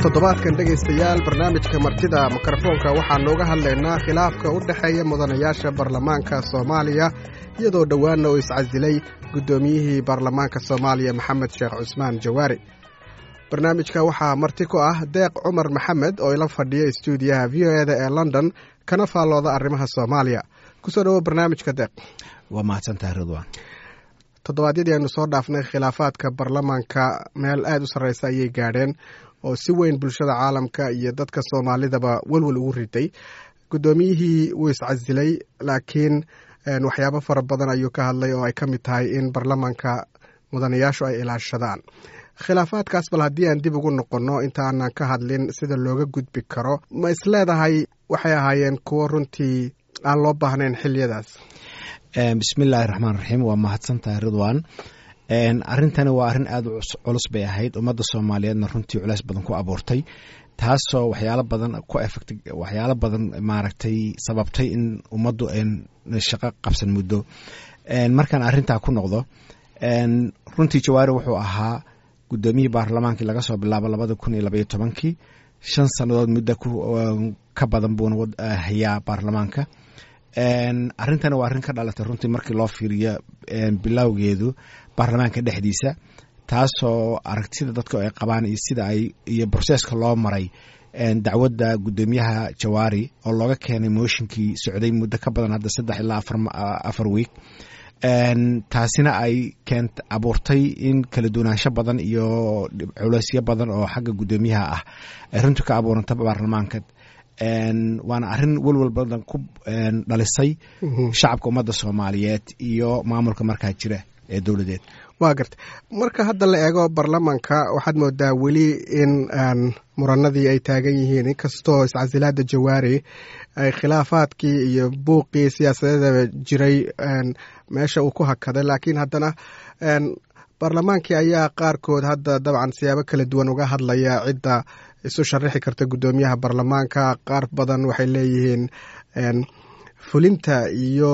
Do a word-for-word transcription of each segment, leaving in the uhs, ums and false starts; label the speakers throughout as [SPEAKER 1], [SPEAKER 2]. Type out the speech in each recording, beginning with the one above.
[SPEAKER 1] Toddobaadkan, dhegaystayaal, barnaamijka Martida Mikrofoonka waxaa nooga hadlaynaa khilaafka u dhexeeya mudanayaasha baarlamaanka Soomaaliya, iyadoo dhowaanna uu iscasilay guddoomiyihii baarlamaanka Soomaaliya, Maxamed Sheekh Cusmaan Jawaari. Barnaamijka waxaa marti ku ah Deeq Cumar Maxamed oo ila fadhiya istuudiyaha V O E da ee London, kana faallooda arrimaha Soomaaliya. Kusoo dhawo barnaamijka, Deeq.
[SPEAKER 2] Waa mahadsantahay, Ridwan.
[SPEAKER 1] Toddobaadyadii aynu soo dhaafnay, khilaafaadka baarlamaanka meel aada u sarreysa ayay gaadheen oo si weyn bulshada caalamka iyo dadka Soomaalidaba welwel ugu riday. Guddoomiyihii wuu iscasilay, laakiin waxyaabo fara badan ayuu ka hadlay oo ay ka mid tahay in baarlamaanka mudanayaashu ay ilaashadaan khilaafaadkaas. Bal haddii aan dib ugu noqonno, inta aanan ka hadlin sida looga gudbi karo, ma isleedahay waxay ahaayeen kuwo runtii aan loo baahnayn xiliyadaas?
[SPEAKER 2] Bismillaahi raxmaan raxiim. Waa mahadsantahay, Ridwan. Arrintani waa arrin aada u culus bay ahayd, ummadda Soomaaliyeedna runtii culeys badan ku abuurtay, taasoo waxyaalo badan ku effect, waxyaalo badan maaragtay sababtay in ummaddu shaqo qabsan muddo. Markaan arrintaa ku noqdo, runtii Jawaari wuxuu ahaa guddoomiyihii baarlamaankii laga soo bilaabo labada kun iyo labaiyo tobankii. Shan sannadood muddo ka badan buuna hayaa baarlamaanka. Arrintani waa arrin ka dhalatay runtii, markii loo fiiriyo bilowgeedu, baarlamaanka dhexdiisa, taasoo aragtida dadka ay qabaan iyo sida ay iyo processka loo maray dacwadda guddoomiyaha Jawaari oo looga keenay mooshinkii socday muddo ka badan hadda saddex ilaa afar afar week, taasina ay keent abuurtay in kala duwanaansho badan iyo culeysyo badan oo xagga guddoomiyaha ah ay runtii ka abuuranta baarlamaanka. Waana arrin welwel badan ku dhalisay shacabka ummadda Soomaaliyeed iyo maamulka markaa jira ee dowladeed.
[SPEAKER 1] Waa garta. Marka hadda la eego baarlamaanka, waxaad moodaa weli in muranadii ay taagan yihiin, inkastoo iscasilaada Jawaari ay khilaafaadkii iyo buuqii siyaasadeeda jiray meesha uu ku hakaday, laakiin haddana baarlamaankii ayaa qaarkood hadda dabcan siyaabo kala duwan uga hadlaya cidda isu sharaxi karta guddoomiyaha baarlamaanka. Qaar badan waxay leeyihiin fulinta iyo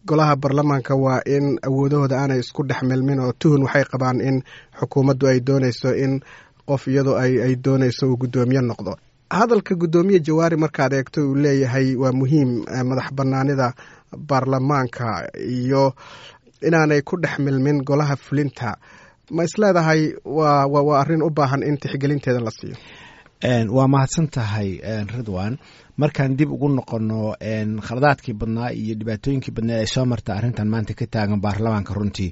[SPEAKER 1] golaha baarlamaanka waa in awoodahooda aanay isku dhex milmin, oo tuhun waxay qabaan in xukuumaddu ay dooneyso in qof iyadoo ay ay dooneyso uu guddoomiye noqdo. Hadalka guddoomiye Jawaari markaad eegto, uu leeyahay waa muhiim madax banaanida baarlamaanka iyo inaanay ku dhex milmin golaha fulinta, ma isleedahay waa waa arrin u baahan in tixgelinteeda la siiyo?
[SPEAKER 2] Waa mahadsan tahay, Ridwan. Markaan dib ugu noqono khaladaadkii badnaa iyo dhibaatooyinkii badnaa ay soo marta arrintan maanta ka taagan baarlamaanka, runtii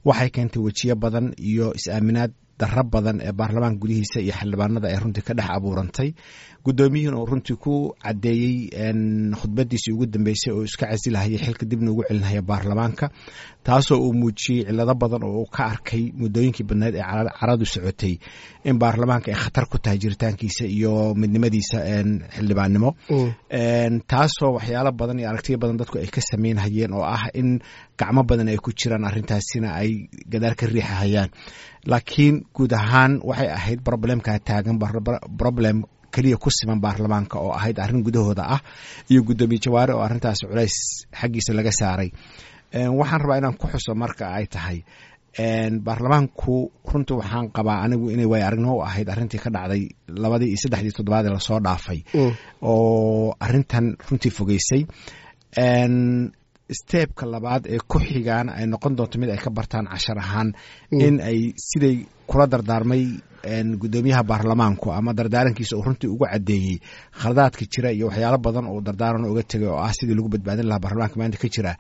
[SPEAKER 2] waxay keentay wejiyo badan iyo is-aaminaad darro badan ee baarlamaanka gudihiisa iyo xildhibaanada ay runtii ka dhex abuurantay. Guddoomiyihii uu runtii ku caddeeyey khudbadiisii ugu dambeysay oo iska casilahaya xilka dibna ugu celinhaya baarlamaanka, taasoo uu muujiyey cilado badan oo uu ka arkay muddooyinkii badneed ee caradu socotay in baarlamaanka ay khatar ku tahay jiritaankiisa iyo midnimadiisa xildhibaannimo, taasoo waxyaalo badan iyo aragtiyo badan dadku ay ka sameynhayeen oo ah in gacmo badan ay ku jiraan arrintaasina ay gadaal ka riixahayaan. Laakiin guud ahaan waxay ahayd problemkaa taagan problem keliya ku siman baarlamaanka oo ahayd arrin gudahooda ah iyo guddoomiye Jawaare oo arrintaas culays xaggiisa laga saaray. Waxaan rabaa inaan ku xuso marka ay tahay baarlamaanku, runtii waxaan qabaa anigu inay waay aragnimo u ahayd arrintii ka dhacday labadii iyo saddexdii toddobaad ee lasoo dhaafay oo arrintan runtii fogeysay. Stepka labaad ee ku xigaan ay noqon doonto mid ay ka bartaan cashar ahaan in ay siday kula dardaarmay guddoomiyaha baarlamaanku ama dardaarankiisa uu runtii ugu caddeeyey khaladaadka jira iyo waxyaalo badan oo dardaaran uga tegay oo ah sidii lagu badbaadin lahaa baarlamaanka maanta ka jira,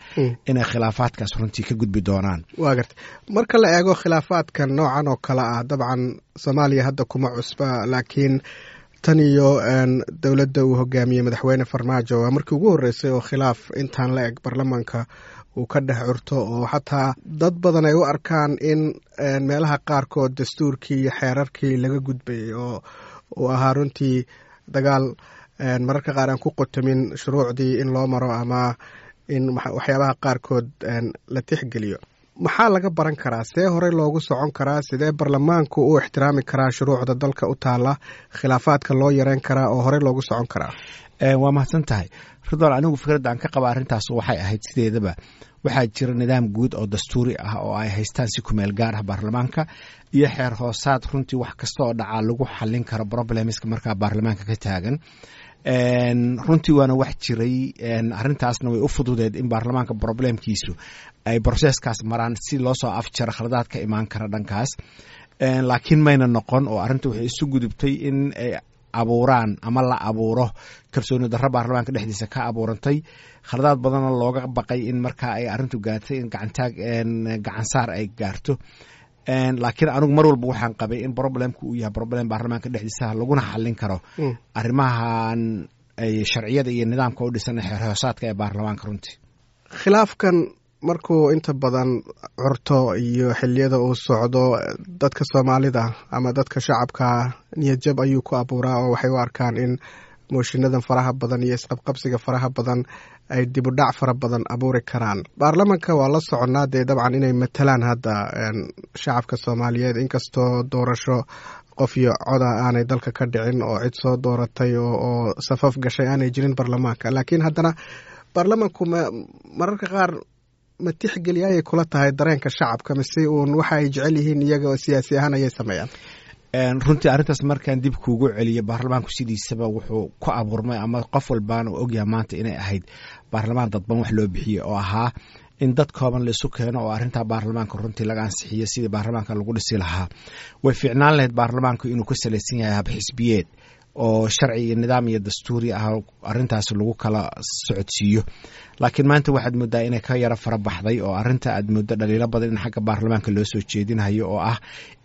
[SPEAKER 2] inay khilaafaadkaas runtii ka gudbi doonaan.
[SPEAKER 1] Waa garta. Marka la eego khilaafaadka noocan oo kale ah, dabcan Soomaaliya hadda kuma cusba, laakiin tan iyo dowladda uu hogaamiyey Madaxweyne Farmaajo waa markii ugu horreysay oo khilaaf intaan la eg baarlamaanka uu ka dhex curto, oo xataa dad badan ay u arkaan in meelaha qaarkood dastuurkii iyo xeerarkii laga gudbayay, oo uu ahaa runtii dagaal mararka qaar aan ku qotomin shuruucdii in loo maro ama in waxyaabaha qaarkood la tixgeliyo. Maxaa laga baran karaa? See horey loogu socon karaa? Sidee baarlamaanku u ixtiraami karaa shuruucda dalka u taala, khilaafaadka loo yareyn karaa oo horey loogu socon karaa?
[SPEAKER 2] Waa mahadsan tahay, Ridwaan. Anigu fikradda aan ka qaba arrintaas waxay ahayd, sideedaba waxaa jira nidaam guud oo dastuuri ah oo ay haystaan si kumeel gaar ah baarlamaanka iyo xeer hoosaad runtii wax kasta oo dhacaa lagu xalin karo problemska markaa baarlamaanka ka taagan. Runtii waana wax jiray, arrintaasna way u fududeed in baarlamaanka problemkiisu ay processkaas maraan si loo soo afjaro khaladaad ka imaan kara dhankaas. Laakiin mayna noqon oo arrinta waxay isu gudubtay in ay abuuraan ama la abuuro kalsooni darro baarlamaanka dhexdiisa ka abuurantay, khaladaad badanna looga baqay in markaa ay arrintu gaartay in gacantaag gacansaar ay gaarto. Laakiin anigu mar walba waxaan qabay in problemku uu yahay problem baarlamaanka dhexdiisa, laguna xalin karo arrimahan sharciyada iyo nidaamka u dhisan xeer hoosaadka ee baarlamaanka runtii.
[SPEAKER 1] Khilaafkan markuu inta badan curto iyo xiliyada uu socdo, dadka Soomaalida ama dadka shacabka niyadjab ayuu ku abuuraa, oo waxay u arkaan in moshinadan faraha badan iyo isqabqabsiga faraha badan ay dibudhac fara badan abuuri karaan. Baarlamanka waa la soconnaa dee dabcan inay matalaan hadda shacabka Soomaaliyeed, inkastoo doorasho qof iyo coda aanay dalka ka dhicin oo cid soo dooratay oo safaf gashay aanay jirin baarlamaanka, laakiin haddana baarlamanku ma mararka qaar ma tixgeliya ayay kula tahay dareenka shacabka, mise uun waxa ay jecel yihiin iyaga oo siyaasi ahaan ayay sameeyaan?
[SPEAKER 2] Runtii arrintaas markaan dib kuugu celiyo, baarlamaanku sidiisaba wuxuu ku abuurmay ama qof walbaana uu ogyahay maanta inay ahayd baarlamaan dadban wax loo bixiyey, oo ahaa in dad kooban laisu keeno oo arrintaa baarlamaanka runtii laga ansixiyo sidii baarlamaanka lagu dhisi lahaa. Way fiicnaan lahayd baarlamaanku inuu ku salaysan yahay habxisbiyeed oo sharci iyo nidaam iyo dastuuri ah arrintaas lagu kala socodsiiyo, laakiin maanta waxaad moodaa inay ka yaro fara baxday oo arrinta aad mooddo dhaliilo badan in xagga baarlamaanka loo soo jeedinayo, oo ah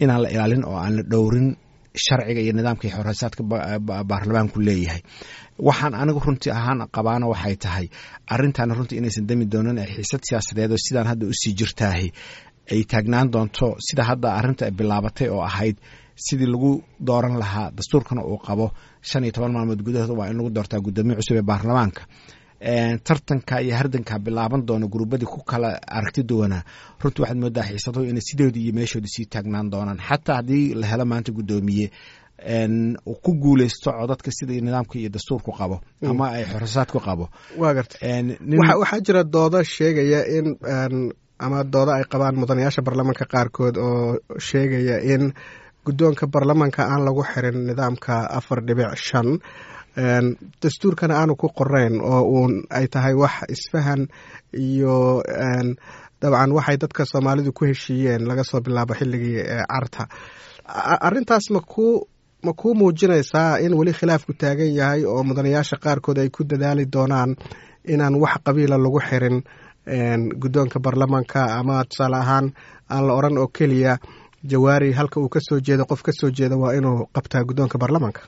[SPEAKER 2] inaan la ilaalin oo aan la dhowrin sharciga iyo nidaamka iyo xoreysaadka baarlamaanku leeyahay. Waxaan anigu runtii ahaan qabaana waxay tahay arrintaana runtii inaysan dami doonin, ay xiisad siyaasadeed oo sidaan hadda usii jirtaahi ay taagnaan doonto, sida hadda arrinta ay bilaabatay oo ahayd sidii lagu dooran lahaa. Dastuurkana uu qabo shan iyo toban maalmood gudahooda waa in lagu doortaa guddoomiye cusub ee baarlamaanka. Tartanka iyo hardanka bilaaban doono guruubadii ku kala aragti duwanaa, runtii waxaad moodaa xiisaduhu inay sidoodii iyo meeshoodii sii taagnaan doonaan, xataa haddii la helo maanta guddoomiye ku guuleysto codadka sida nidaamka iyo dastuurku qabo ama ay xorosaadku qabo.
[SPEAKER 1] Waa garta. Waxaa jira doodo sheegaya in ama doodo ay qabaan mudanayaasha baarlamaanka qaarkood oo sheegaya in guddoonka baarlamaanka aan lagu xirin nidaamka afar dhibic shan, dastuurkana aanu ku qorayn, oo uun ay tahay wax isfahan iyo dabcan waxay dadka Soomaalidu ku heshiiyeen laga soo bilaabo xilligii Carta. Arrintaas ma ku ma kuu muujinaysaa in weli khilaafku taagan yahay oo mudanayaasha qaarkood ay ku dadaali doonaan inaan wax qabiila lagu xirin guddoonka baarlamaanka, ama tusaale ahaan aan la odran oo keliya Jawaari halka uu ka soo jeedo qof ka soo jeeda waa inuu qabtaa guddoonka baarlamaanka?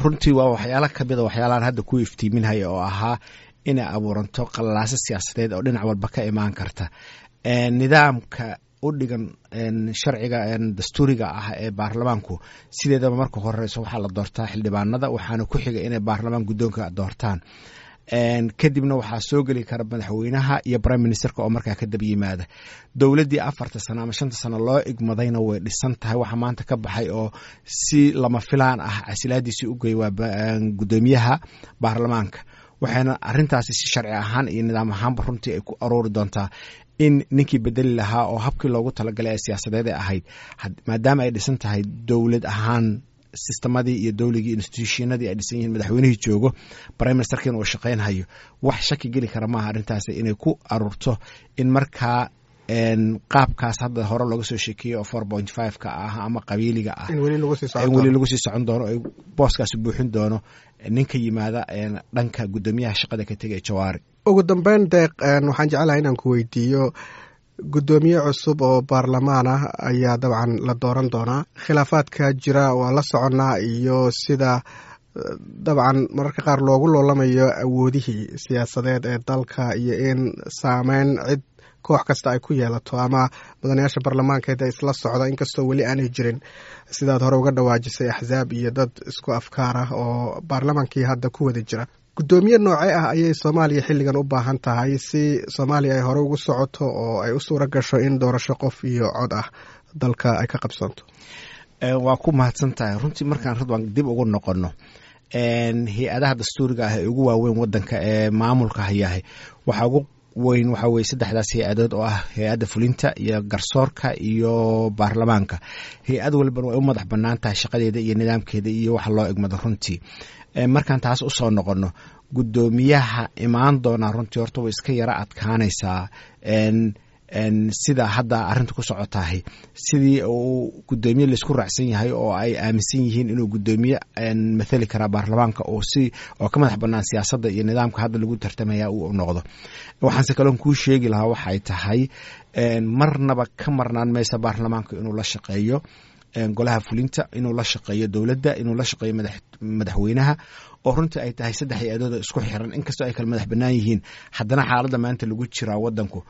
[SPEAKER 2] Runtii waa waxyaala kamida waxyaalahan hadda ku iftiiminhaya oo ahaa inay abuuranto qalalaaso siyaasadeed oo dhinac walba ka imaan karta. Nidaamka u dhigan sharciga dastuuriga ah ee baarlamaanku, sideedaba marka horeyso waxaa la doortaa xildhibaanada, waxaana ku xiga inay baarlamaan guddoonka doortaan. Kadibna waxaa soo geli kara madaxweynaha iyo prime ministerka oo markaa ka daba yimaada. Dowladdii afarta sano ama shanta sano loo igmadayna way dhisan tahay. Waxa maanta ka baxay oo si lama filaan ah casilaadiisii u gey waa guddoomiyaha baarlamaanka, waxayna arrintaasi si sharci ahaan iyo nidaam ahaanba runtii ay ku aroori doontaa in ninkii bedeli lahaa oo habkii loogu talagalay ee siyaasadeed ay ahayd, maadaama ay dhisan tahay dowlad ahaan, sistemadii iyo dowligii institutionadii ay dhisan yihiin, madaxweynihii joogo, prime ministerkiina uu shaqaynhayo, wax shaki geli kara maaha arrintaasi inay ku aruurto in markaa qaabkaas hadda hore looga soo sheekeeyey oo four point five ka ah ama qabiiliga ah
[SPEAKER 1] in weli
[SPEAKER 2] lagu sii socon doono, ay booskaasi buuxin doono ninka yimaada dhanka guddoomiyaha shaqada ka tegay Jawaari.
[SPEAKER 1] Ugu dambeyn, Deeq, waxaan jeclahay inaan ku weydiiyo, guddoomiye cusub oo baarlamaan ah ayaa dabcan la dooran doonaa. Khilaafaadka jira waa la soconnaa iyo sida dabcan mararka qaar loogu loolamayo awoodihii siyaasadeed ee dalka iyo in saameyn cid koox kasta ay ku yeelato ama mudanayaasha baarlamaankeeda isla socda, inkastoo weli aanay jirin, sidaad hore uga dhawaajisay, axsaab iyo dad isku afkaar ah oo baarlamaankii hadda ku wada jira. Guddoomiye noocee ah ayay Soomaaliya xilligan u baahan tahay si Soomaaliya ay hore ugu socoto oo ay u suura gasho in doorasho qof iyo cod ah dalka ay ka qabsanto?
[SPEAKER 2] Waa ku mahadsan tahay. Runtii markaan Ridwan dib ugu noqono hay-adaha dastuuriga ah ee ugu waaweyn wadanka ee maamulka hayahay, waxaa ugu weyn waxaa weye saddexdaas hay-adood oo ah hay-adda fulinta iyo garsoorka iyo baarlamaanka. Hay-ad walbana way u madax banaan tahay shaqadeeda iyo nidaamkeeda iyo waxa loo egmado. Runtii markaan taas usoo noqono, guddoomiyaha imaan doonaa runtii horta way iska yara adkaanaysaa sida hadda arrinta ku socotahay, sidii uu guddoomiye laisku raacsan yahay oo ay aaminsan yihiin inuu guddoomiye mathali karaa baarlamaanka oo si oo ka madax banaan siyaasadda iyo nidaamka hadda lagu tartamaya uu noqdo. Waxaanse kaloon kuu sheegi lahaa waxay tahay, marnaba ka marnaan maysa baarlamaanka inuu la shaqeeyo golaha fulinta, inuu la shaqeeyo dowladda, inuu la shaqeeyo madaxweynaha, oo runtii ay tahay saddex hay-adood oo isku xiran. Inkastoo ay kala madax bannaan yihiin, haddana xaaladda maanta lagu jiraa wadanku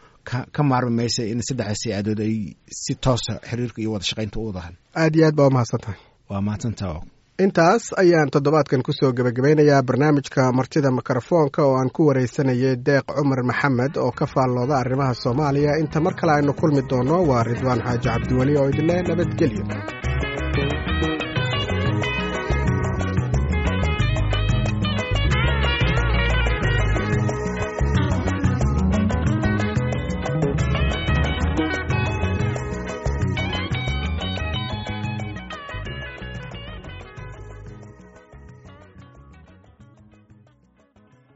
[SPEAKER 2] ka maarmi maysa in saddexdaas hay-adood ay si toosa xiriirka iyo wada shaqaynta u wadahan.
[SPEAKER 1] Aad iyo aad baa umahadsan tahay.
[SPEAKER 2] Waa mahadsantaha.
[SPEAKER 1] Intaas ayaan toddobaadkan kusoo gebagabeynayaa barnaamijka Martida Mikrofoonka oo aan ku waraysanayay Deeq Cumar Maxamed oo ka faallooda arrimaha Soomaaliya. Inta mar kale aynu kulmi doonno, waa Ridwaan Xaaji Cabdiweli oo idinleh nabadgelyo.